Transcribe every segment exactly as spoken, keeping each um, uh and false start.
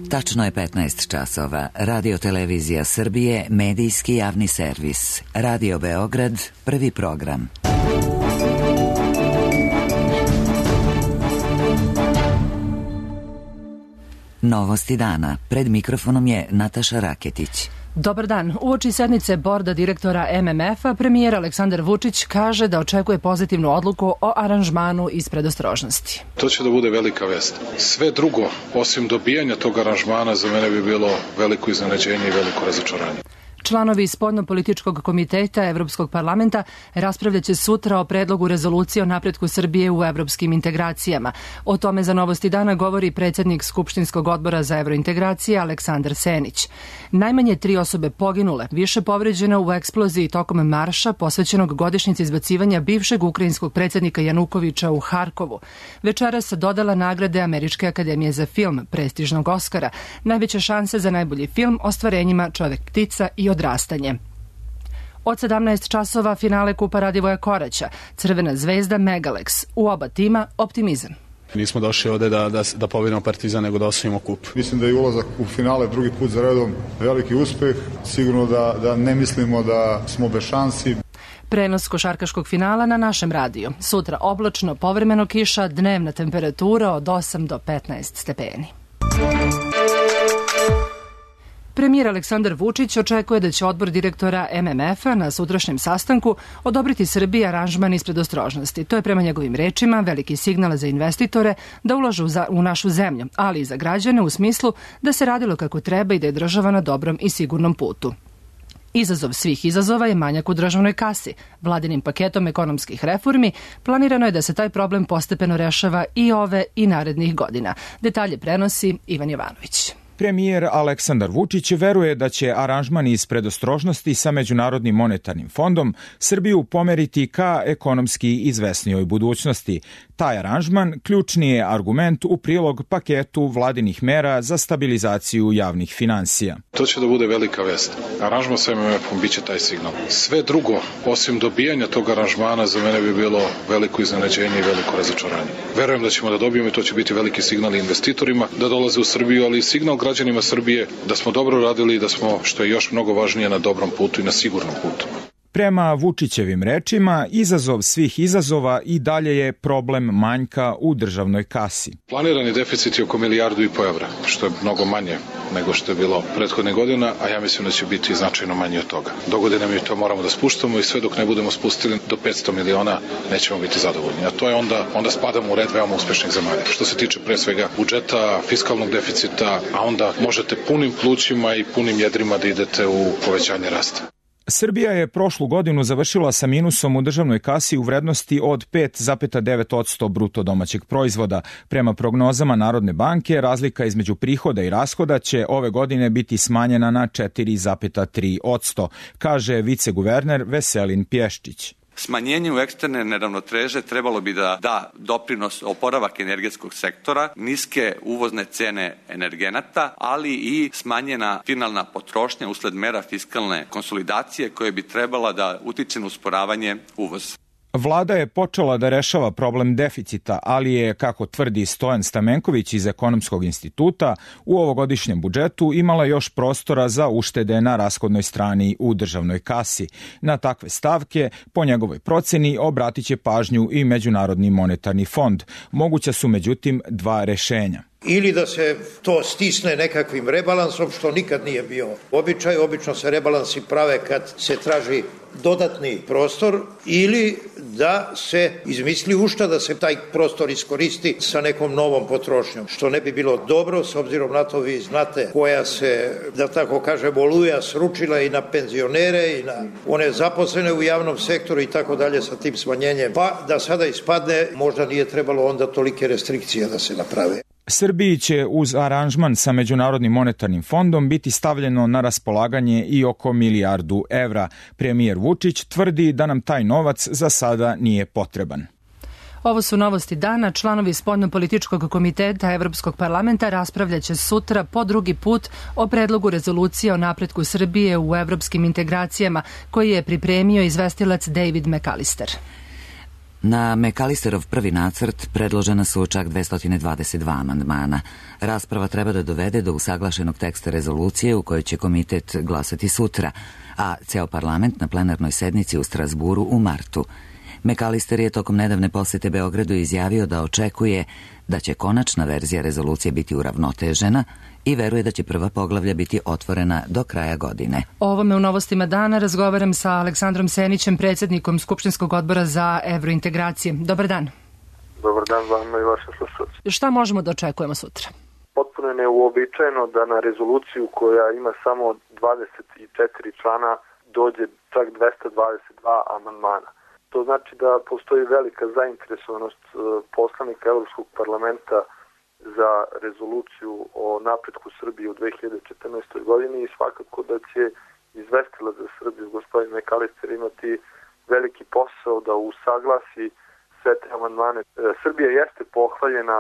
Tačno je petnaest časova. Radio Televizija Srbije, medijski javni servis. Radio Beograd, prvi program. Novosti dana. Pred mikrofonom je Nataša Raketić. Dobar dan. Uoči sednice borda direktora M M F-a, premijer Aleksandar Vučić kaže da očekuje pozitivnu odluku o aranžmanu iz predostrožnosti. To će da bude velika vest. Sve drugo, osim dobijanja tog aranžmana, za mene bi bilo veliko iznenađenje i veliko razočaranje. Članovi spoljnopolitičkog komiteta Evropskog parlamenta raspravljaće sutra o predlogu rezolucije o napretku Srbije u evropskim integracijama. O tome za Novosti dana govori predsjednik Skupštinskog odbora za evrointegracije Aleksandar Senić. Najmanje tri osobe poginule, više povređene u eksploziji tokom marša posvećenog godišnjici izbacivanja bivšeg ukrajinskog predsjednika Janukoviča u Harkovu. Večeras dodala nagrade Američke akademije za film, prestižnog Oskara, najveće šanse za najbolji film ostvarenjima Čovek ptica i odrastanje. Od sedamnaest časova finale Kupa Radivoja Koraća, Crvena zvezda Megalex. U oba tima optimizam. Nismo došli ovde da, da, da pobedimo Partizan, nego da osvojimo kup. Mislim da je ulazak u finale drugi put za redom veliki uspeh. Sigurno da, da ne mislimo da smo bez šansi. Prenos košarkaškog finala na našem radiju. Sutra oblačno, povremeno kiša, dnevna temperatura od osam do petnaest stepeni. Premijer Aleksandar Vučić očekuje da će odbor direktora M M F-a na sutrašnjem sastanku odobriti Srbiji aranžman iz predostrožnosti. To je prema njegovim rečima veliki signal za investitore da ulažu za, u našu zemlju, ali i za građane u smislu da se radilo kako treba i da je država na dobrom i sigurnom putu. Izazov svih izazova je manjak u državnoj kasi. Vladinim paketom ekonomskih reformi planirano je da se taj problem postepeno rešava i ove i narednih godina. Detalje prenosi Ivan Jovanović. Premijer Aleksandar Vučić veruje da će aranžman iz predostrožnosti sa Međunarodnim monetarnim fondom Srbiju pomeriti ka ekonomski izvesnijoj budućnosti. Taj aranžman ključni je argument u prilog paketu vladinih mera za stabilizaciju javnih finansija. To će da bude velika vest. Aranžman sa M M F-om biće taj signal. Sve drugo, osim dobijanja tog aranžmana, za mene bi bilo veliko iznenađenje i veliko razočaranje. Verujem da ćemo da dobijemo i to će biti veliki signal investitorima da dolaze u Srbiju, ali i signal građanima Srbije da smo dobro radili i da smo, što je još mnogo važnije, na dobrom putu i na sigurnom putu. Prema Vučićevim rečima, izazov svih izazova i dalje je problem manjka u državnoj kasi. Planirani deficit je oko milijardu i po evra, što je mnogo manje nego što je bilo prethodne godina, a ja mislim da će biti značajno manje od toga. Dogodine mi to moramo da spuštamo i sve dok ne budemo spustili do petsto miliona nećemo biti zadovoljni. A to je onda, onda spadamo u red veoma uspešnih zemalja. Što se tiče pre svega budžeta, fiskalnog deficita, a onda možete punim plućima i punim jedrima da idete u povećanje rasta. Srbija je prošlu godinu završila sa minusom u državnoj kasi u vrednosti od pet zarez devet posto bruto domaćeg proizvoda. Prema prognozama Narodne banke, razlika između prihoda i rashoda će ove godine biti smanjena na četiri zarez tri posto, kaže viceguverner Veselin Pješčić. Smanjenje u eksterne neravnoteže trebalo bi da da doprinos oporavak energetskog sektora, niske uvozne cene energenata, ali i smanjena finalna potrošnja usled mera fiskalne konsolidacije koje bi trebala da utiče na usporavanje uvoza. Vlada je počela da rešava problem deficita, ali je, kako tvrdi Stojan Stamenković iz Ekonomskog instituta, u ovogodišnjem budžetu imala još prostora za uštede na rashodnoj strani u državnoj kasi. Na takve stavke, po njegovoj proceni, obratit će pažnju i Međunarodni monetarni fond. Moguća su međutim dva rešenja. Ili da se to stisne nekakvim rebalansom, što nikad nije bio običaj. Obično se rebalansi prave kad se traži dodatni prostor, ili da se izmisli ušta da se taj prostor iskoristi sa nekom novom potrošnjom, što ne bi bilo dobro, s obzirom na to vi znate koja se, da tako kažem, oluja sručila i na penzionere i na one zaposlene u javnom sektoru i tako dalje sa tim smanjenjem. Pa da sada ispadne, možda nije trebalo onda tolike restrikcije da se naprave. Srbiji će uz aranžman sa Međunarodnim monetarnim fondom biti stavljeno na raspolaganje i oko milijardu evra. Premijer Vučić tvrdi da nam taj novac za sada nije potreban. Ovo su novosti dana. Članovi spoljnopolitičkog komiteta Evropskog parlamenta raspravljaće sutra po drugi put o predlogu rezolucije o napretku Srbije u evropskim integracijama koji je pripremio izvestilac David McAllister. Na Mekalisterov prvi nacrt predložena su čak dvesta dvadeset dva amandmana. Rasprava treba da dovede do usaglašenog teksta rezolucije u kojoj će komitet glasati sutra, a ceo parlament na plenarnoj sednici u Strasburu u martu. Mekalister je tokom nedavne posete Beogradu izjavio da očekuje da će konačna verzija rezolucije biti uravnotežena i veruje da će prva poglavlja biti otvorena do kraja godine. O ovome u Novostima dana razgovaram sa Aleksandrom Senićem, predsjednikom Skupštinskog odbora za evrointegracije. Dobar dan. Dobar dan vama i vašim slušalcima. Šta možemo da očekujemo sutra? Potpuno je neuobičajeno da na rezoluciju koja ima samo dvadeset četiri člana dođe čak dvesta dvadeset dva amandmana. To znači da postoji velika zainteresovanost poslanika Evropskog parlamenta za rezoluciju o napretku Srbije u dve hiljade četrnaestoj godini i svakako da će izvestilac za Srbiju, gospodin Mekalister, imati veliki posao da usaglasi sve te amandmane. Srbija jeste pohvaljena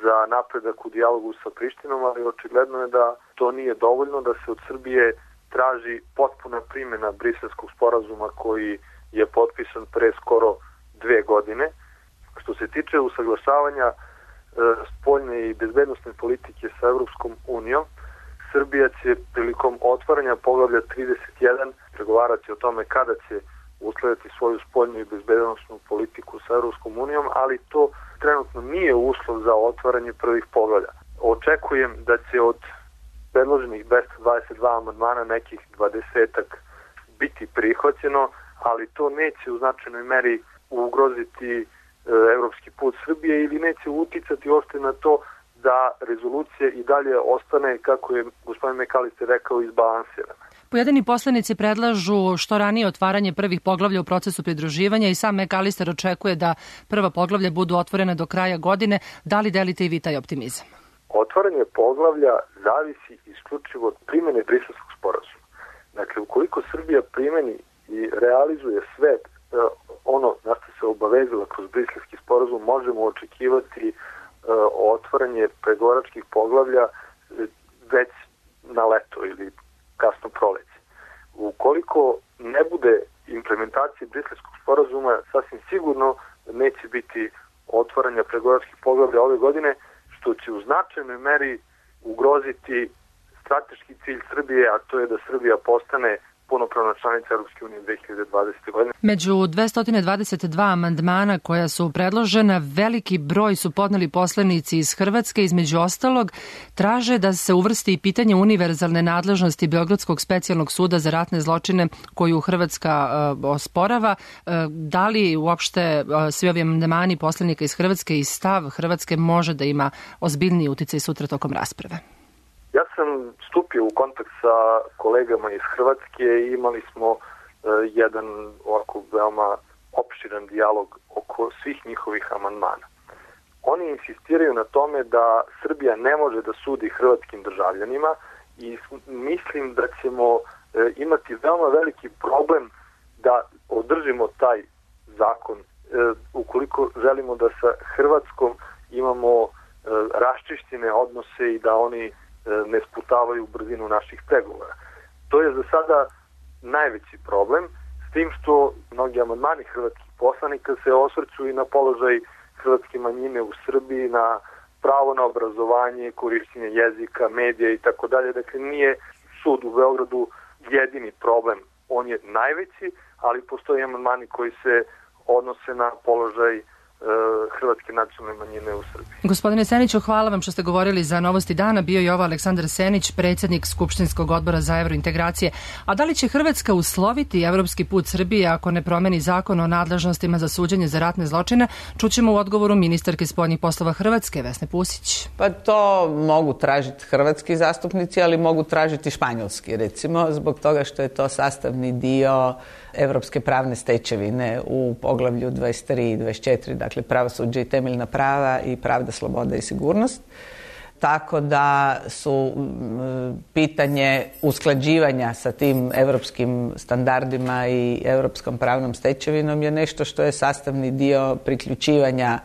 za napredak u dijalogu sa Prištinom, ali očigledno je da to nije dovoljno, da se od Srbije traži potpuna primjena Briselskog sporazuma koji je potpisan pre skoro dve godine. Što se tiče usaglašavanja e, spoljne i bezbednosne politike sa Evropskom unijom, Srbija će prilikom otvaranja poglavlja trideset jedan pregovarati o tome kada će uskladiti svoju spoljnu i bezbednosnu politiku sa Evropskom unijom, ali to trenutno nije uslov za otvaranje prvih poglavlja. Očekujem da će od predloženih dvesta dvadeset dva amandmana nekih dvadesetak biti prihvaćeno, ali to neće u značajnoj meri ugroziti e, evropski put Srbije ili neće uticati uopšte na to da rezolucija i dalje ostane, kako je gospodin Mekalister rekao, izbalansirana. Pojedini poslanici predlažu što ranije otvaranje prvih poglavlja u procesu pridruživanja i sam Mekalister očekuje da prva poglavlja budu otvorena do kraja godine. Da li delite i vi taj optimizam? Otvaranje poglavlja zavisi isključivo od primjene Briselskog sporazuma. Dakle, ukoliko Srbija primeni i realizuje sve ono na što se obavezala kroz Briselski sporazum, možemo očekivati otvaranje pregovaračkih poglavlja već na leto ili kasno proleće. Ukoliko ne bude implementacije Briselskog sporazuma, sasvim sigurno neće biti otvaranja pregovaračkih poglavlja ove godine, što će u značajnoj meri ugroziti strateški cilj Srbije, a to je da Srbija postane punopravna članica Europske unije dve hiljade dvadesete. godine. Među dvesta dvadeset dva amandmana koja su predložena, veliki broj su podneli poslanici iz Hrvatske. Između ostalog, traže da se uvrsti i pitanje univerzalne nadležnosti Beogradskog specijalnog suda za ratne zločine koju Hrvatska uh, osporava. Uh, da li uopšte uh, svi ovi amandmani poslanika iz Hrvatske i stav Hrvatske može da ima ozbiljniji uticaj sutra tokom rasprave? Ja sam stupio u kontakt sa kolegama iz Hrvatske i imali smo uh, jedan ovako veoma opširan dijalog oko svih njihovih amandmana. Oni insistiraju na tome da Srbija ne može da sudi hrvatskim državljanima i mislim da ćemo uh, imati veoma veliki problem da održimo taj zakon uh, ukoliko želimo da sa Hrvatskom imamo uh, raščišćene odnose i da oni ne sputavaju brzinu naših pregovora. To je za sada najveći problem, s tim što mnogi amandmani hrvatskih poslanika se osvrću i na položaj hrvatske manjine u Srbiji, na pravo na obrazovanje, korišćenje jezika, medija i tako dalje. Dakle, nije sud u Beogradu jedini problem. On je najveći, ali postoje amandmani koji se odnose na položaj hrvatske nacionalne manjine u Srbiji. Gospodine Seniću, hvala vam što ste govorili za Novosti dana. Bio je ovo Aleksandar Senić, predsjednik Skupštinskog odbora za evrointegracije. A da li će Hrvatska usloviti evropski put Srbije ako ne promeni zakon o nadležnostima za suđenje za ratne zločine? Čućemo u odgovoru ministarke spoljnih poslova Hrvatske, Vesne Pusić. Pa to mogu tražiti hrvatski zastupnici, ali mogu tražiti španjolski, recimo, zbog toga što je to sastavni dio evropske pravne stečevine u poglavlju dvadeset tri i dvadeset četiri, dakle pravosuđe i temeljna prava i pravda, sloboda i sigurnost. Tako da su pitanje usklađivanja sa tim evropskim standardima i evropskom pravnom stečevinom je nešto što je sastavni dio priključivanja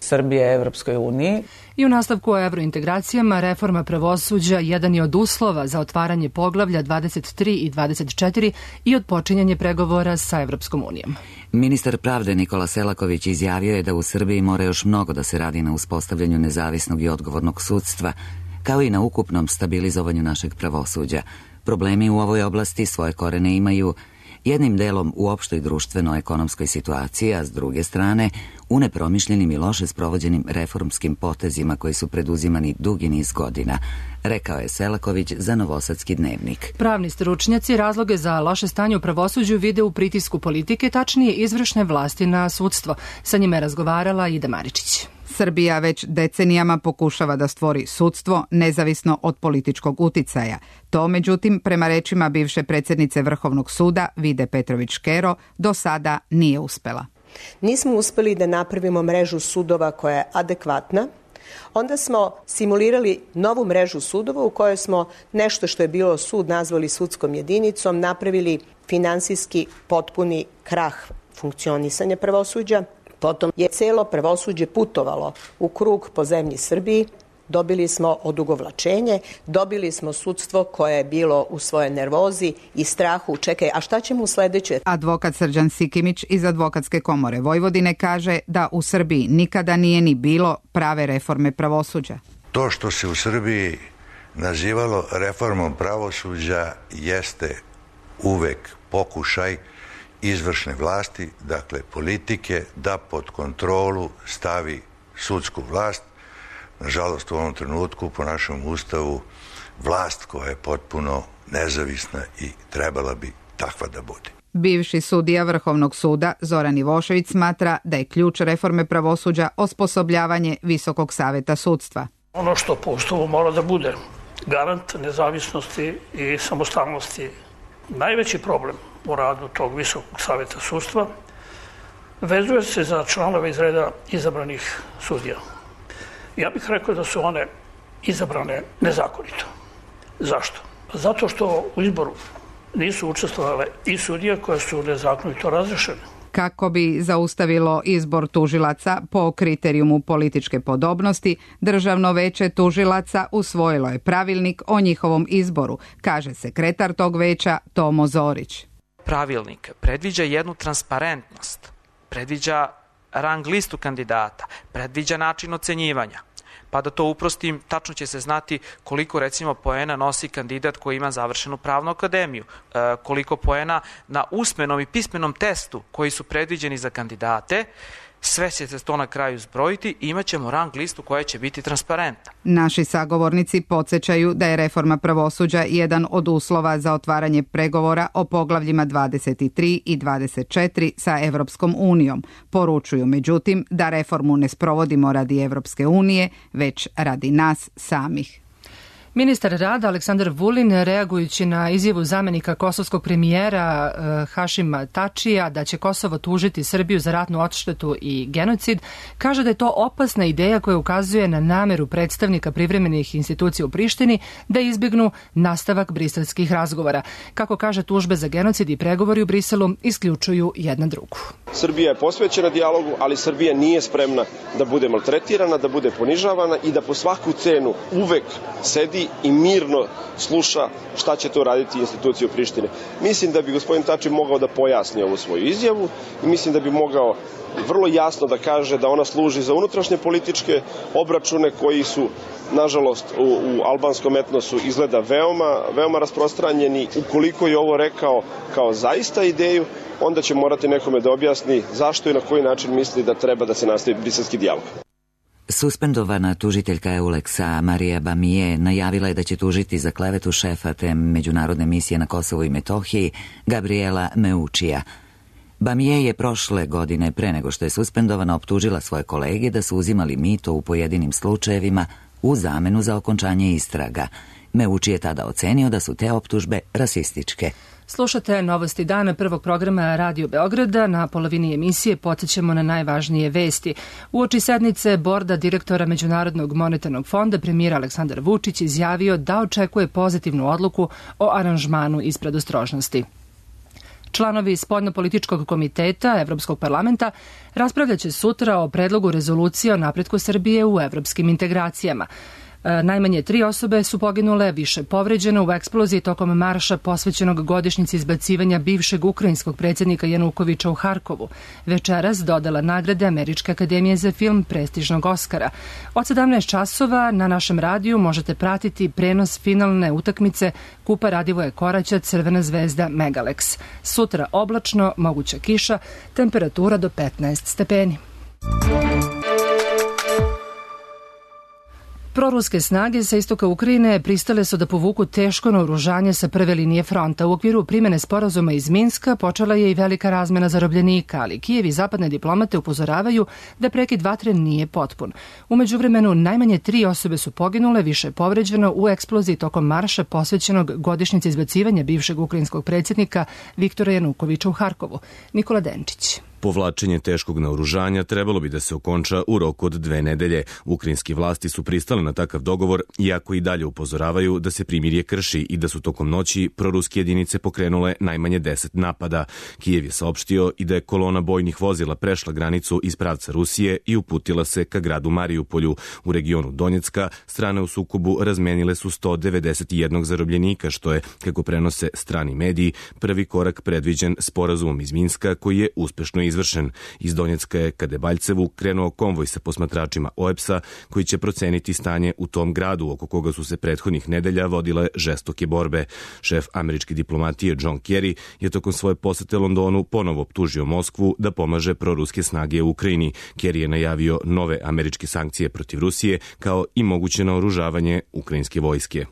Srbije Evropskoj uniji. I u nastavku o evrointegracijama, reforma pravosuđa jedan je od uslova za otvaranje poglavlja dvadeset tri i dvadeset četiri i odpočinjanje pregovora sa Evropskom unijom. Ministar pravde Nikola Selaković izjavio je da u Srbiji mora još mnogo da se radi na uspostavljanju nezavisnog i odgovornog sudstva, kao i na ukupnom stabilizovanju našeg pravosuđa. Problemi u ovoj oblasti svoje korene imaju jednim delom u opštoj društveno-ekonomskoj situaciji, a s druge strane u nepromišljenim i loše sprovođenim reformskim potezima koji su preduzimani dugi niz godina, rekao je Selaković za Novosadski dnevnik. Pravni stručnjaci razloge za loše stanje u pravosuđu vide u pritisku politike, tačnije izvršne vlasti na sudstvo. Sa njime je razgovarala Ida Maričić. Srbija već decenijama pokušava da stvori sudstvo nezavisno od političkog uticaja. To, međutim, prema rečima bivše predsjednice Vrhovnog suda Vide Petrović-Škero, do sada nije uspela. Nismo uspeli da napravimo mrežu sudova koja je adekvatna. Onda smo simulirali novu mrežu sudova u kojoj smo nešto što je bilo sud nazvali sudskom jedinicom, napravili finansijski potpuni krah funkcionisanja pravosuđa. Potom je celo pravosuđe putovalo u krug po zemlji Srbiji, dobili smo odugovlačenje, dobili smo sudstvo koje je bilo u svojoj nervozi i strahu. Čekaj, a šta ćemo u sledeće? Advokat Srđan Sikimić iz Advokatske komore Vojvodine kaže da u Srbiji nikada nije ni bilo prave reforme pravosuđa. To što se u Srbiji nazivalo reformom pravosuđa jeste uvek pokušaj izvršne vlasti, dakle politike, da pod kontrolu stavi sudsku vlast. Nažalost, u ovom trenutku, po našem ustavu, vlast koja je potpuno nezavisna i trebala bi takva da bude. Bivši sudija Vrhovnog suda Zoran Ivošević smatra da je ključ reforme pravosuđa osposobljavanje Visokog saveta sudstva. Ono što po ustavu mora da bude garant nezavisnosti i samostalnosti. Najveći problem u radu tog Visokog saveta sudstva vezuje se za članove iz reda izabranih sudija. Ja bih rekao da su one izabrane nezakonito. Zašto? Zato što u izboru nisu učestvovale i sudije koje su nezakonito razrešene. Kako bi zaustavilo izbor tužilaca po kriterijumu političke podobnosti, Državno veće tužilaca usvojilo je pravilnik o njihovom izboru, kaže sekretar tog veća Tomo Zorić. Pravilnik predviđa jednu transparentnost, predviđa rang listu kandidata, predviđa način ocenjivanja. Pa da to uprostim, tačno će se znati koliko recimo poena nosi kandidat koji ima završenu pravnu akademiju, e, koliko poena na usmenom i pismenom testu koji su predviđeni za kandidate. Sve će se to na kraju zbrojiti i imat ćemo rang listu koja će biti transparentna. Naši sagovornici podsjećaju da je reforma pravosuđa jedan od uslova za otvaranje pregovora o poglavljima dvadeset tri i dvadeset četiri sa Evropskom unijom. Poručuju međutim da reformu ne sprovodimo radi Evropske unije, već radi nas samih. Ministar rada Aleksandar Vulin, reagujući na izjavu zamenika kosovskog premijera Hašima Tačija da će Kosovo tužiti Srbiju za ratnu odštetu i genocid, kaže da je to opasna ideja koja ukazuje na nameru predstavnika privremenih institucija u Prištini da izbjegnu nastavak briselskih razgovora. Kako kaže, tužbe za genocid i pregovori u Briselu isključuju jedna drugu. Srbija je posvećena dijalogu, ali Srbija nije spremna da bude maltretirana, da bude ponižavana i da po svaku cenu uvek sedi i mirno sluša šta će to raditi institucije u Prištine. Mislim da bi gospodin Tači mogao da pojasni ovu svoju izjavu i mislim da bi mogao vrlo jasno da kaže da ona služi za unutrašnje političke obračune koji su, nažalost, u, u albanskom etnosu izgleda veoma, veoma rasprostranjeni. Ukoliko je ovo rekao kao zaista ideju, onda će morati nekome da objasni zašto i na koji način misli da treba da se nastavi briselski dijalog. Suspendovana tužiteljka Euleksa Marija Bamije najavila je da će tužiti za klevetu šefa te međunarodne misije na Kosovu i Metohiji Gabriela Meučija. Bamije je prošle godine, pre nego što je suspendovana, optužila svoje kolege da su uzimali mito u pojedinim slučajevima u zamenu za okončanje istraga. Meuči je tada ocenio da su te optužbe rasističke. Slušate Novosti dana prvog programa Radio Beograda. Na polovini emisije podsjećamo na najvažnije vesti. Uoči sednice borda direktora Međunarodnog monetarnog fonda premijer Aleksandar Vučić izjavio da očekuje pozitivnu odluku o aranžmanu iz predostrožnosti. Članovi Spoljnopolitičkog komiteta Evropskog parlamenta raspravljaće sutra o predlogu rezolucije o napretku Srbije u evropskim integracijama. Najmanje tri osobe su poginule, više povređeno u eksploziji tokom marša posvećenog godišnjici izbacivanja bivšeg ukrajinskog predsjednika Janukoviča u Harkovu. Večeras dodala nagrade Američke akademije za film prestižnog Oskara. Od sedamnaest časova na našem radiju možete pratiti prenos finalne utakmice Kupa Radivoje Koraća Crvena zvezda Megalex. Sutra oblačno, moguća kiša, temperatura do petnaest stepeni. Proruske snage sa istoka Ukrajine pristale su da povuku teško naoružanje sa prve linije fronta. U okviru primene sporazuma iz Minska počela je i velika razmena zarobljenika, ali Kijev i zapadne diplomate upozoravaju da prekid vatre nije potpun. U međuvremenu najmanje tri osobe su poginule, više je povređeno u eksploziji tokom marša posvećenog godišnjici izbacivanja bivšeg ukrajinskog predsjednika Viktora Janukoviča u Harkovu. Nikola Denčić. Povlačenje teškog naoružanja trebalo bi da se okonča u roku od dve nedelje. Ukrajinski vlasti su pristale na takav dogovor, iako i dalje upozoravaju da se primirje krši i da su tokom noći proruske jedinice pokrenule najmanje deset napada. Kijev je saopštio i da je kolona bojnih vozila prešla granicu iz pravca Rusije i uputila se ka gradu Marijupolju. U regionu Donjecka strane u sukobu razmenile su sto devedeset jedan zarobljenika, što je, kako prenose strani mediji, prvi korak predviđen sporazumom iz Minska koji je uspešno izvršen. Iz Donjecka je ka Debaljcevu krenuo konvoj sa posmatračima O E P S-a koji će proceniti stanje u tom gradu oko koga su se prethodnih nedelja vodile žestoke borbe. Šef američke diplomatije John Kerry je tokom svoje posete Londonu ponovo optužio Moskvu da pomaže proruske snage u Ukrajini. Kerry je najavio nove američke sankcije protiv Rusije kao i moguće naoružavanje ukrajinske vojske.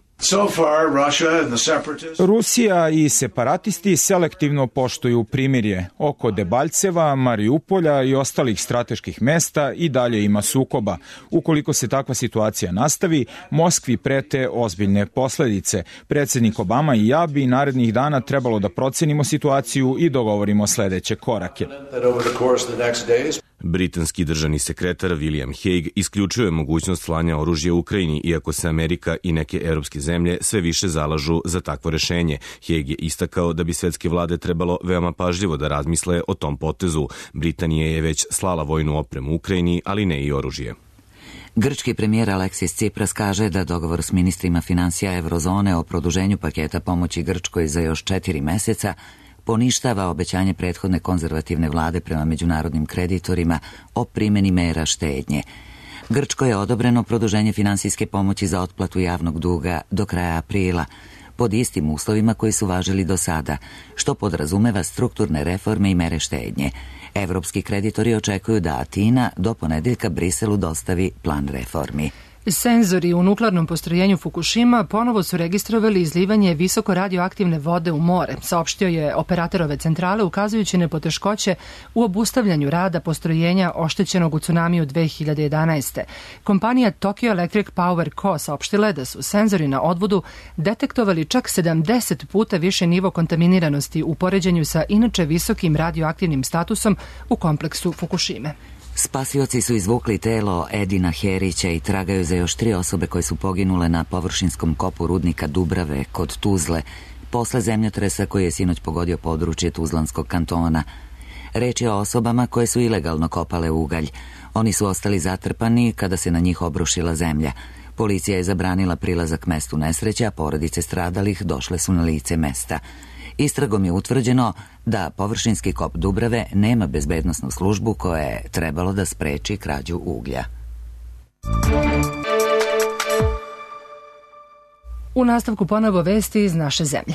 Rusija i separatisti selektivno poštuju primirje. Oko Debaljceva, Marijupolja i ostalih strateških mesta i dalje ima sukoba. Ukoliko se takva situacija nastavi, Moskvi prete ozbiljne posledice. Predsjednik Obama i ja bi narednih dana trebalo da procenimo situaciju i dogovorimo sledeće korake. Britanski državni sekretar William Hague isključio je mogućnost slanja oružja u Ukrajini, iako se Amerika i neke evropske zemlje sve više zalažu za takvo rešenje. Hague je istakao da bi svetske vlade trebalo veoma pažljivo da razmisle o tom potezu. Britanija je već slala vojnu opremu u Ukrajini, ali ne i oružje. Grčki premijer Aleksis Tsipras kaže da dogovor s ministrima finansija Eurozone o produženju paketa pomoći Grčkoj za još četiri meseca poništava obećanje prethodne konzervativne vlade prema međunarodnim kreditorima o primjeni mera štednje. Grčkoj je odobreno produženje finansijske pomoći za otplatu javnog duga do kraja aprila, pod istim uslovima koji su važili do sada, što podrazumeva strukturne reforme i mere štednje. Evropski kreditori očekuju da Atina do ponedeljka Briselu dostavi plan reformi. Senzori u nuklearnom postrojenju Fukushima ponovo su registrovali izlivanje visoko radioaktivne vode u more, saopštio je operator ove centrale, ukazujući na poteškoće u obustavljanju rada postrojenja oštećenog u tsunamiju dve hiljade jedanaeste. Kompanija Tokyo Electric Power Co. saopštila je da su senzori na odvodu detektovali čak sedamdeset puta više nivo kontaminiranosti u poređenju sa inače visokim radioaktivnim statusom u kompleksu Fukushime. Spasioci su izvukli telo Edina Herića i tragaju za još tri osobe koje su poginule na površinskom kopu rudnika Dubrave kod Tuzle, posle zemljotresa koji je sinoć pogodio područje Tuzlanskog kantona. Reč je o osobama koje su ilegalno kopale ugalj. Oni su ostali zatrpani kada se na njih obrušila zemlja. Policija je zabranila prilazak mestu nesreće, a porodice stradalih došle su na lice mesta. Istragom je utvrđeno da površinski kop Dubrave nema bezbednosnu službu koja je trebalo da spreči krađu uglja. U nastavku ponovo vesti iz naše zemlje.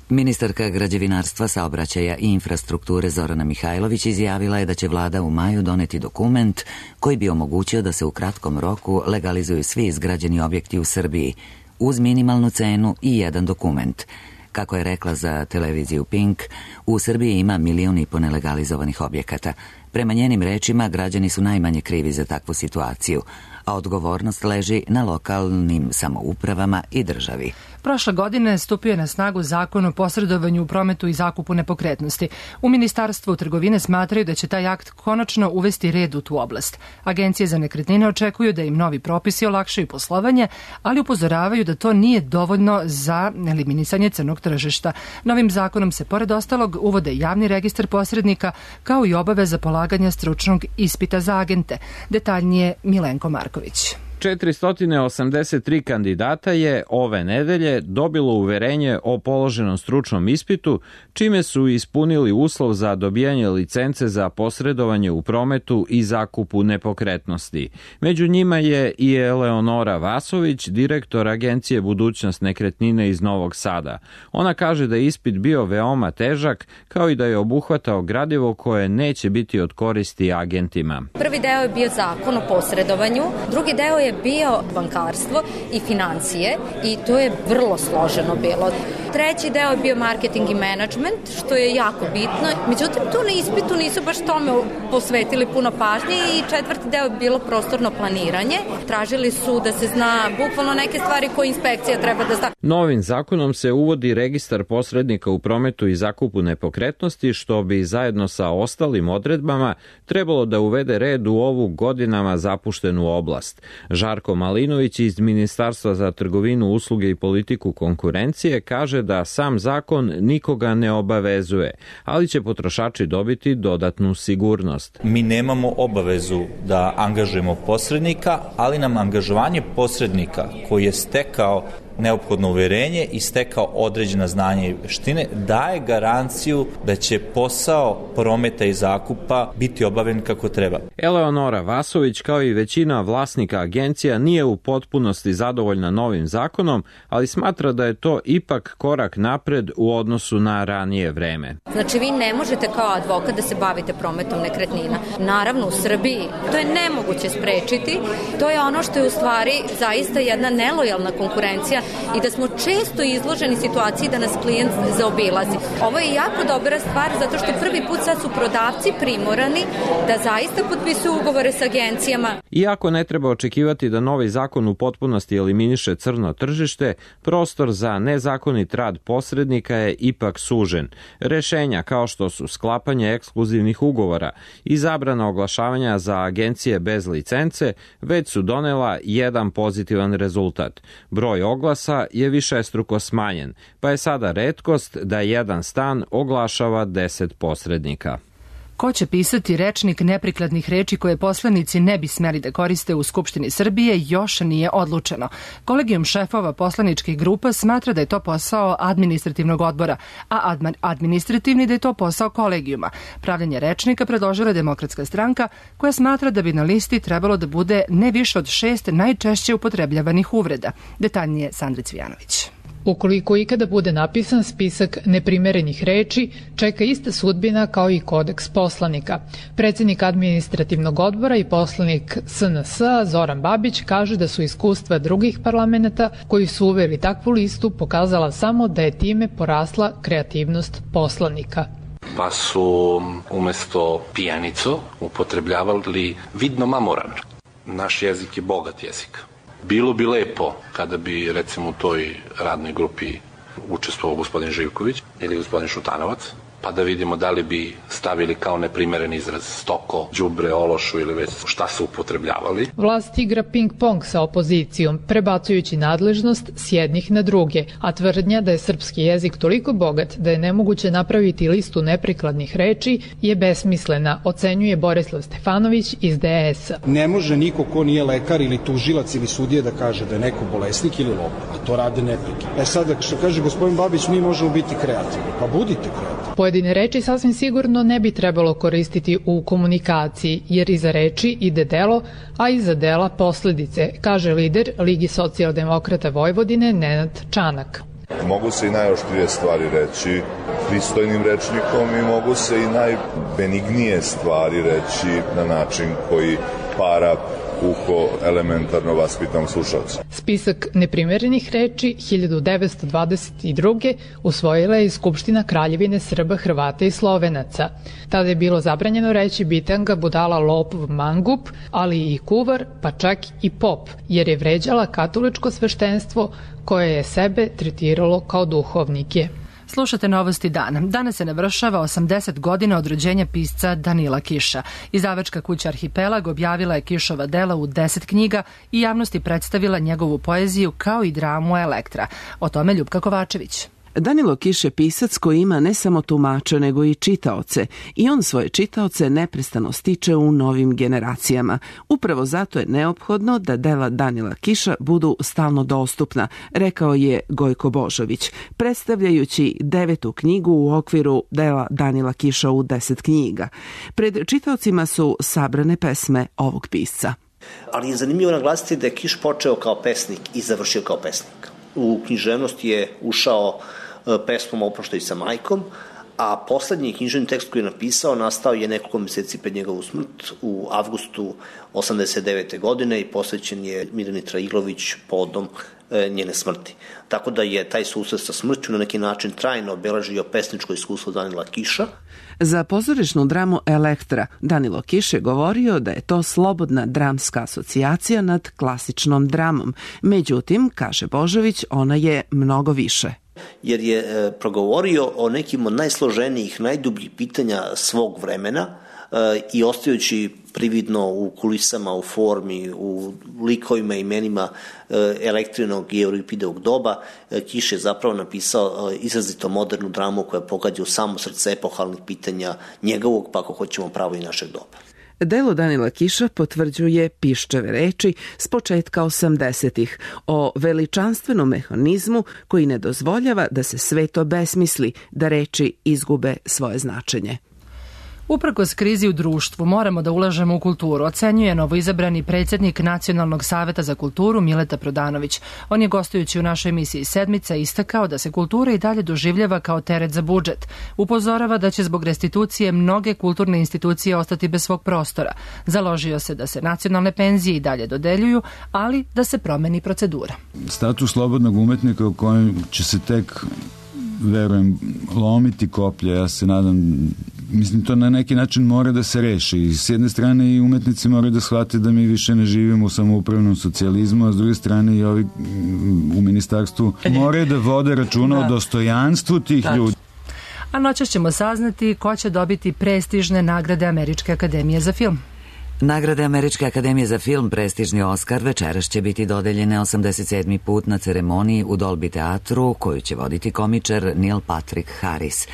Ministarka građevinarstva, saobraćaja i infrastrukture Zorana Mihajlović izjavila je da će vlada u maju doneti dokument koji bi omogućio da se u kratkom roku legalizuju svi izgrađeni objekti u Srbiji uz minimalnu cenu i jedan dokument. Kako je rekla za televiziju Pink, u Srbiji ima milion i po nelegalizovanih objekata. Prema njenim rečima, građani su najmanje krivi za takvu situaciju, a odgovornost leži na lokalnim samoupravama i državi. Prošle godine stupio je na snagu zakon o posredovanju u prometu i zakupu nepokretnosti. U Ministarstvu trgovine smatraju da će taj akt konačno uvesti red u tu oblast. Agencije za nekretnine očekuju da im novi propisi olakšaju poslovanje, ali upozoravaju da to nije dovoljno za eliminisanje crnog tržišta. Novim zakonom se pored ostalog uvode javni registar posrednika kao i obaveza polaganja stručnog ispita za agente. Detaljnije Milenko Marković. četiristo osamdeset tri kandidata je ove nedelje dobilo uverenje o položenom stručnom ispitu, čime su ispunili uslov za dobijanje licence za posredovanje u prometu i zakupu nepokretnosti. Među njima je i Eleonora Vasović, direktor Agencije Budućnost nekretnine iz Novog Sada. Ona kaže da je ispit bio veoma težak, kao i da je obuhvatao gradivo koje neće biti od koristi agentima. Prvi deo je bio zakon o posredovanju, drugi deo je bio bankarstvo i financije i to je vrlo složeno bilo. Treći deo je bio marketing i management, što je jako bitno. Međutim, tu na ispitu nisu baš tome posvetili puno pažnje i četvrti deo je bilo prostorno planiranje. Tražili su da se zna bukvalno neke stvari koje inspekcija treba da zna. Novim zakonom se uvodi registar posrednika u prometu i zakupu nepokretnosti, što bi zajedno sa ostalim odredbama trebalo da uvede red u ovu godinama zapuštenu oblast. Žarko Malinović iz Ministarstva za trgovinu, usluge i politiku konkurencije kaže da sam zakon nikoga ne obavezuje, ali će potrošači dobiti dodatnu sigurnost. Mi nemamo obavezu da angažujemo posrednika, ali nam angažovanje posrednika koji je stekao neophodno uverenje i stekao određena znanja i veštine daje garanciju da će posao prometa i zakupa biti obavljen kako treba. Eleonora Vasović, kao i većina vlasnika agencija, nije u potpunosti zadovoljna novim zakonom, ali smatra da je to ipak korak napred u odnosu na ranije vreme. Znači, vi ne možete kao advokat da se bavite prometom nekretnina. Naravno, u Srbiji to je nemoguće sprečiti. To je ono što je u stvari zaista jedna nelojalna konkurencija i da smo često izloženi situaciji da nas klijent zaobilazi. Ovo je jako dobra stvar zato što prvi put sad su prodavci primorani da zaista potpisuju ugovore s agencijama. Iako ne treba očekivati da novi zakon u potpunosti eliminiše crno tržište, prostor za nezakonit rad posrednika je ipak sužen. Rešenja kao što su sklapanje ekskluzivnih ugovora i zabrana oglašavanja za agencije bez licence već su donela jedan pozitivan rezultat. Broj oglasa je višestruko smanjen, pa je sada retkost da jedan stan oglašava deset posrednika. Ko će pisati rečnik neprikladnih reči koje poslanici ne bi smeli da koriste u Skupštini Srbije još nije odlučeno. Kolegijum šefova poslaničkih grupa smatra da je to posao administrativnog odbora, a administrativni da je to posao kolegijuma. Pravljenje rečnika predložila je Demokratska stranka, koja smatra da bi na listi trebalo da bude ne više od šest najčešće upotrebljavanih uvreda. Detaljnije Sandra Cvijanović. Ukoliko ikada bude napisan spisak neprimerenih reči, čeka ista sudbina kao i kodeks poslanika. Predsjednik administrativnog odbora i poslanik S N S Zoran Babić kaže da su iskustva drugih parlamenta koji su uveli takvu listu pokazala samo da je time porasla kreativnost poslanika. Pa su umesto pijanico upotrebljavali vidno mamoran. Naš jezik je bogat jezik. Bilo bi lepo kada bi, recimo, u toj radnoj grupi učestvovao gospodin Živković ili gospodin Šutanovac, pa da vidimo da li bi stavili kao neprimeren izraz stoko, đubre, ološu ili već šta su upotrebljavali. Vlast igra ping-pong sa opozicijom, prebacujući nadležnost s jednih na druge, a tvrdnja da je srpski jezik toliko bogat da je nemoguće napraviti listu neprikladnih reči je besmislena, ocenjuje Borislav Stefanović iz D S A. Ne može niko ko nije lekar ili tužilac ili sudija da kaže da je neko bolesnik ili lopov, a to rade neprekidno. E sad, što kaže gospodin Babić, mi možemo biti kreativni, pa budite kreativni. Pojedine reči sasvim sigurno ne bi trebalo koristiti u komunikaciji, jer iza reči ide delo, a iza dela posledice, kaže lider Ligi socijaldemokrata Vojvodine Nenad Čanak. Mogu se i najoštrije stvari reći pristojnim rečnikom i mogu se i najbenignije stvari reći na način koji para uho elementarno vaspitam slušalcu. Spisak neprimerenih reči hiljadu devetsto dvadeset druge usvojila je i Skupština Kraljevine Srba, Hrvata i Slovenaca. Tada je bilo zabranjeno reći bitanga, budala, lopov, mangup, ali i kuvar, pa čak i pop, jer je vređala katoličko sveštenstvo koje je sebe tretiralo kao duhovnike. Slušate Novosti dana. Danas se navršava osamdeset godina od rođenja pisca Danila Kiša. Izdavačka kuća Arhipelag objavila je Kišova dela u deset knjiga i javnosti predstavila njegovu poeziju kao i dramu Elektra. O tome Ljupka Kovačević. Danilo Kiš je pisac koji ima ne samo tumače, nego i čitaoce i on svoje čitaoce neprestano stiče u novim generacijama. Upravo zato je neophodno da dela Danila Kiša budu stalno dostupna, rekao je Gojko Božović, predstavljajući devetu knjigu u okviru dela Danila Kiša u deset knjiga. Pred čitaocima su sabrane pesme ovog pisca. Ali je zanimljivo naglasiti da je Kiš počeo kao pesnik i završio kao pesnik. U književnost je ušao pesmom Oproštaj sa majkom, a poslednji književni tekst koji je napisao nastao je nekoliko meseci pred njegovu smrt u avgustu osamdeset devete godine i posvećen je Mirjani Trailović povodom njene smrti. Tako da je taj susret sa smrću na neki način trajno obeležio pesničko iskustvo Danila Kiša. Za pozorišnu dramu Elektra Danilo Kiš je govorio da je to slobodna dramska asocijacija nad klasičnom dramom. Međutim, kaže Božović, ona je mnogo više. Jer je e, progovorio o nekim od najsloženijih, najdubljih pitanja svog vremena e, i ostajući prividno u kulisama, u formi, u likovima i imenima e, Elektrinog i Euripidovog doba, e, Kiš je zapravo napisao e, izrazito modernu dramu koja pogađa u samo srce epohalnih pitanja njegovog, pa ako hoćemo pravo i našeg doba. Delo Danila Kiša potvrđuje Piščeve reči s početka osamdesetih o veličanstvenom mehanizmu koji ne dozvoljava da se svet obesmisli, da reči izgube svoje značenje. Uprkos krizi u društvu moramo da ulažemo u kulturu, ocenjuje novoizabrani predsjednik Nacionalnog saveta za kulturu Mileta Prodanović. On je gostujući u našoj emisiji Sedmica istakao da se kultura i dalje doživljava kao teret za budžet. Upozorava da će zbog restitucije mnoge kulturne institucije ostati bez svog prostora. Založio se da se nacionalne penzije i dalje dodeljuju, ali da se promeni procedura. Status slobodnog umetnika u kojem će se tek, verujem, lomiti koplje, ja se nadam. Mislim, to na neki način mora da se reši. S jedne strane i umetnici moraju da shvate da mi više ne živimo u samoupravnom socijalizmu, a s druge strane i ovi u ministarstvu moraju da vode računa da. o dostojanstvu tih Tač. ljudi. A noćas ćemo saznati ko će dobiti prestižne nagrade Američke akademije za film. Nagrade Američke akademije za film, prestižni Oskar, večeras će biti dodeljene osamdeset sedmi put na ceremoniji u Dolby teatru, koju će voditi komičar Neil Patrick Harris.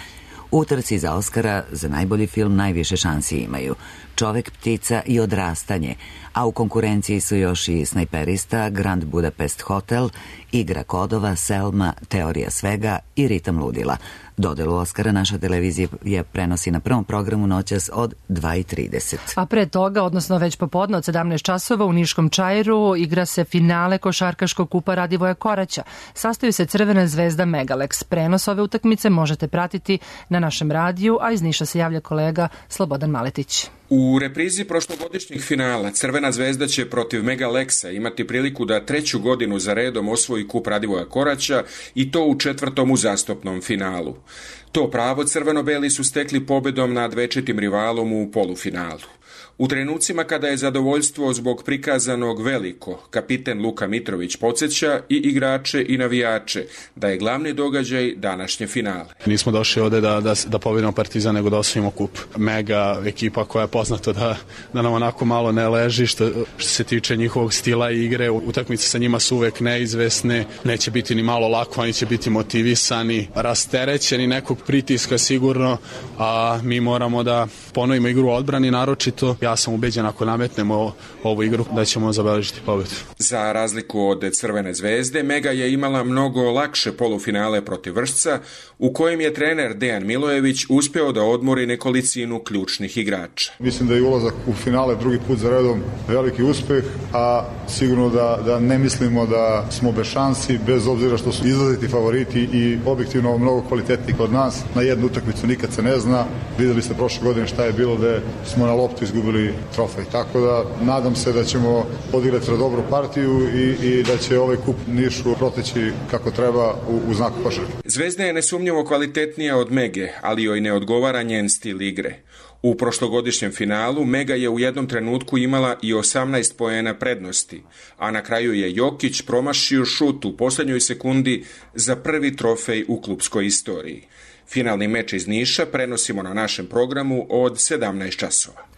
U trci za Oskara za najbolji film najviše šansi imaju Čovek, ptica i Odrastanje, a u konkurenciji su još i Snajperista, Grand Budapest Hotel, Igra kodova, Selma, Teorija svega i Ritam ludila. Dodelu Oskara naša televizija je prenosi na prvom programu noćas od dva i trideset. A pre toga, odnosno već popodne od sedamnaest časova u Niškom Čairu igra se finale košarkaškog kupa Radivoja Koraća. Sastoji se Crvena zvezda Megalex. Prenos ove utakmice možete pratiti na našem radiju, a iz Niša se javlja kolega Slobodan Maletić. U reprizi prošlogodišnjih finala Crvena zvezda će protiv Megalexa imati priliku da treću godinu za redom osvoji kup Radivoja Koraća i to u četvrtom uzastopnom finalu. To pravo crveno-beli su stekli pobedom nad večitim rivalom u polufinalu. U trenucima kada je zadovoljstvo zbog prikazanog veliko, kapiten Luka Mitrović podsjeća i igrače i navijače da je glavni događaj današnje finale. Nismo došli ovde da, da, da pobedimo Partizan, nego da osvojimo kup. Mega ekipa koja je poznata da, da nam onako malo ne leži što, što se tiče njihovog stila igre. Utakmice sa njima su uvek neizvesne, neće biti ni malo lako, oni će biti motivisani, rasterećeni nekog pritiska sigurno, a mi moramo da ponovimo igru u odbrani naročito. Ja sam ubeđen ako nametnemo ovu igru da ćemo zabeležiti pobedu. Za razliku od Crvene zvezde, Mega je imala mnogo lakše polufinale protiv Vršca, u kojem je trener Dejan Milojević uspeo da odmori nekolicinu ključnih igrača. Mislim da je ulazak u finale drugi put za redom veliki uspeh, a sigurno da, da ne mislimo da smo bez šansi, bez obzira što su izlaziti favoriti i objektivno mnogo kvalitetniji kod nas. Na jednu utakmicu nikad se ne zna. Videli ste prošle godine šta je bilo da smo na loptu izgubili dobili trofej. Tako da nadam se da ćemo odigrati dobru partiju i, i da će ovaj kup Nišu proteći kako treba u, u znaku košarke. Zvezda je nesumnjivo kvalitetnija od Mege, ali joj ne odgovara njen stil igre. U prošlogodišnjem finalu Mega je u jednom trenutku imala i osamnaest poena prednosti, a na kraju je Jokić promašio šut u poslednjoj sekundi za prvi trofej u klupskoj istoriji. Finalni meč iz Niša prenosimo na našem programu od sedamnaest časova.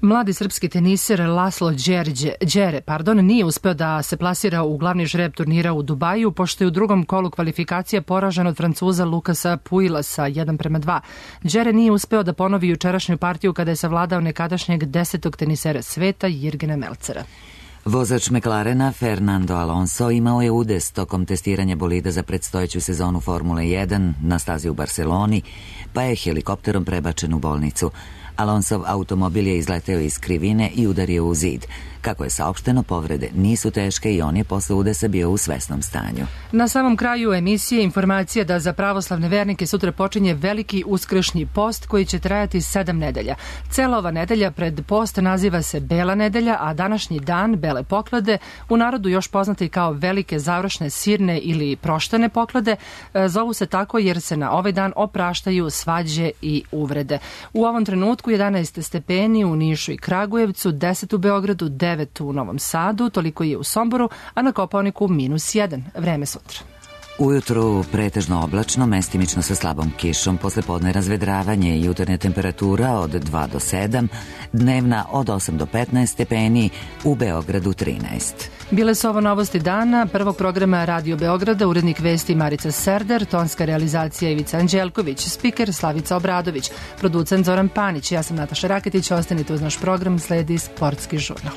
Mladi srpski teniser Laslo Đerđe, Đere pardon, nije uspeo da se plasira u glavni žreb turnira u Dubaju, pošto je u drugom kolu kvalifikacija poražen od Francuza Lukasa Puilasa jedan prema dva. Đere nije uspeo da ponovi jučerašnju partiju kada je savladao nekadašnjeg desetog tenisera sveta Jirgena Melcera. Vozač McLarena Fernando Alonso imao je udes tokom testiranja bolida za predstojeću sezonu Formule jedan na stazi u Barceloni, pa je helikopterom prebačen u bolnicu. Alonsov automobil je izleteo iz krivine i udario u zid. Kako je saopšteno, povrede nisu teške i on je posle udesa bio u svesnom stanju. Na samom kraju emisije informacija da za pravoslavne vernike sutra počinje veliki uskršnji post koji će trajati sedam nedelja. Cela ova nedelja pred post naziva se Bela nedelja, a današnji dan Bele poklade, u narodu još poznati kao velike završne sirne ili proštene poklade, zovu se tako jer se na ovaj dan opraštaju svađe i uvrede. U ovom trenutku jedanaest stepeni u Nišu i Kragujevcu, deset u Beogradu, devet u Novom Sadu, toliko je u Somboru, a na Kopaoniku minus jedan. Vreme sutra. Ujutru pretežno oblačno, mestimično sa slabom kišom, posle podne razvedravanje i jutarnja temperatura od dva do sedam, dnevna od osam do petnaest stepeni, u Beogradu trinaest. Bile su ovo novosti dana, prvog programa Radio Beograda, urednik vesti Marica Serder, tonska realizacija Ivica Anđelković, spiker Slavica Obradović, producent Zoran Panić, ja sam Nataša Raketić, ostanite uz naš program, sledi Sportski žurnal.